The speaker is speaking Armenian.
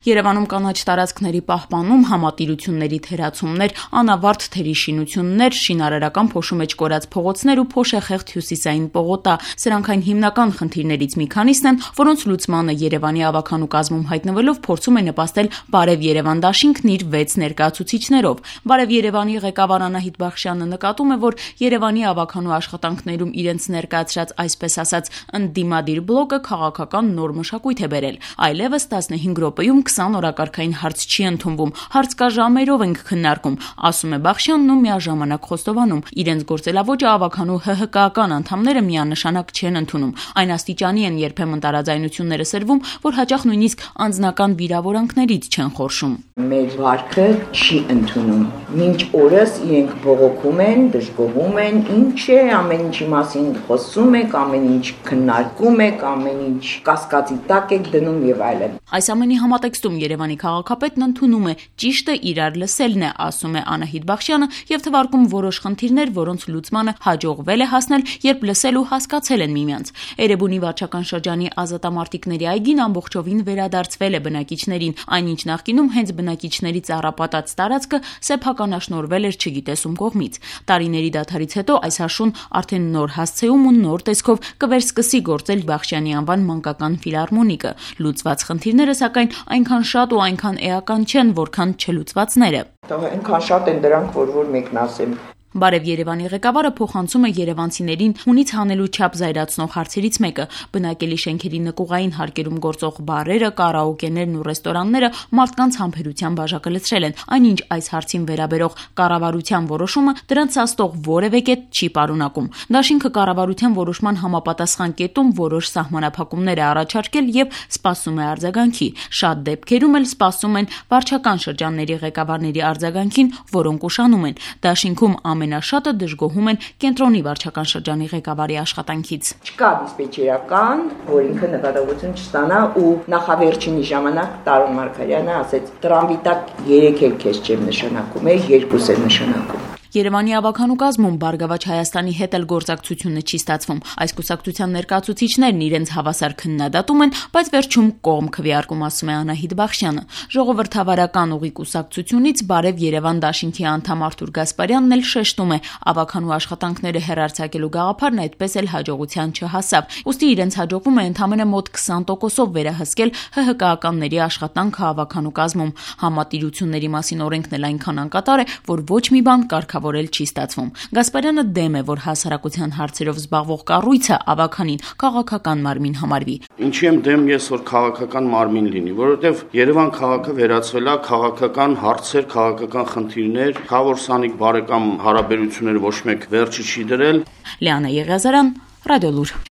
Երևանում կանաչ տարածքների պահպանում, համատիրությունների թերացումներ, անավարտ թերի շինություններ, շինարարական փոշու մեջ կորած փողոցներ ու փոշեխեղտ հյուսիսային պողոտա։ Սրանք այն հիմնական խնդիրներից մի քանիսն են, որոնց լուծմանը Երևանի ավագանու կազմում հայտնվելով փորձում է նպաստել Բարև Երևան դաշինքն իր 6 ներկայացուցիչներով։ Բարև Երևանի ղեկավար Անահիտ Բախշյանը նկատում է, որ Երևանի ավագանու աշխատանքներում իրենց ներկայացրած այսպես ասած ընդդիմադիր բլոկը քաղաքական նոր մշակույթ է բերել։ Այլևս 15 րոպեում 20 օրակարգային հարց չի ընդունվում, հարց կա ժամերով ենք քննարկում, ասում է Բախշյանն ու միաժամանակ խոստովանում, իրենց գործելավոճը ավագանու ՀՀԿ-ական անդամները միանշանակ չեն ընդունում։ Այն աստիճանի են երբեմն տարաձայնությունները սրվում, որ հաճախ նույնիսկ անձնական վիրավորանքներից չեն խորշում։ Մեր վարքը չի ընդունում։ Մինչ օրս իրենք բողոքում են, դժգոհում են, ինչ է, ամեն ինչի մասին խոսում եք, ամեն ինչ քննարկում եք, ամեն ինչ կասկածի տակ եք դնում եւ այլն։ Այս ամենի համատեքստում Երևանի քաղաքապետն ընդունում է ճիշտը իրար լսելն է, ասում է Անահիտ Բախշյանը եւ թվարկում որոշ խնդիրներ, որոնց լուծմանը հաջողվել է հասնել, երբ լսել ու հասկացել են միմյանց։ Էրեբունի վարչական շրջանի ազատամարտիկների այգին ամբողջովին վերադարձվել է բնակիչներին, այնինչ նախկինում հենց բնակիչների ծառապատած տարածքը սեփականաշնորհվել էր չգիտես ում կողմից։ Տարիների դադարից հետո այս հաշուն արդեն նոր հասցեում ու նոր տեսքով կվերսկսի գործել Բախշյանի անվան մանկական ֆիլհարմոնիկը։ Լուծված խնդիրները սակայն այնքան շատ ու այնքան էական չեն, որքան չլուծվածները։ Այնքան շատ են դրանք, որ մեկն ասեմ։ Բարև Երևանի ղեկավարը փոխանցում է երևանցիներին հունից հանելու չափ զայրացնող հարցերից մեկը։ Բնակելի շենքերի նկուղային հարկերում գործող բարերը, կարաոկեներն ու ռեստորանները մարդկանց համբերության բաժակը լցրել են, այնինչ այս հարցին վերաբերող կառավարության որոշումը դրանց սաստող որևէ կետ չի պարունակում։ Դաշինքը կառավարության որոշման համապատասխան կետում որոշ սահմանափակումներ է առաջարկել եւ սպասում է արձագանքի։ Շատ դեպքերում էլ սպասում են վարչական շրջանների ղեկավարների արձագանքին, որոնք ուշանում են։ Դաշինքում ամենաշատը դժգոհում են կենտրոնի վարչական շրջանի ղեկավարի աշխատանքից։ Չկա դիսպեչերական, որ ինքը նկատողություն չստանա ու նախավերջինի ժամանակ Տարոն Մարգարյանը ասեց՝ տրամվի տակ 3 էլ քեզ չեմ նշանակում, 2 էլ նշանակում։ Երևանի ավագանու կազմում Բարգավաճ Հայաստանի հետ էլ գործակցությունը չի ստացվում։ Այս կուսակցության ներկայացուցիչներն իրենց հավասար քննադատում են, բայց վերջում կողմ քվեարկում, ասում է Անահիտ Բախշյանը։ Ժողովրդավարական ուղի կուսակցությունից Բարև Երևան դաշինքի անդամ Արթուր Գասպարյանն էլ շեշտում է, ավագանու աշխատանքները հեռարձակելու գաղափարն այդպես էլ հաջողության չհասավ։ Ուստի իրենց հաջողվում է ընդամենը մոտ 20%-ով վերահսկել ՀՀԿ-ականների աշխատանքը ավագանու կազմում։ Համատիրությունների մասին օրենքն էլ այնքան անկատար է, որ ոչ մի բան կարգավորել չի ստացվում։ Գասպարյանը դեմ է, որ հասարակության հարցերով զբաղվող կառույցը ավագանին քաղաքական մարմին համարվի։ Ինչի եմ դեմ ես, որ քաղաքական մարմին լինի, որովհետև Երևան քաղաքը վերածվել է քաղաքական հարցեր, քաղաքական խնդիրներ, խավոր սանիկ բարեկամ հարաբերությունները ոչ մեկ վերջի չի դրել։ Լիանա Եղիազարյան, Ռադիոլուր։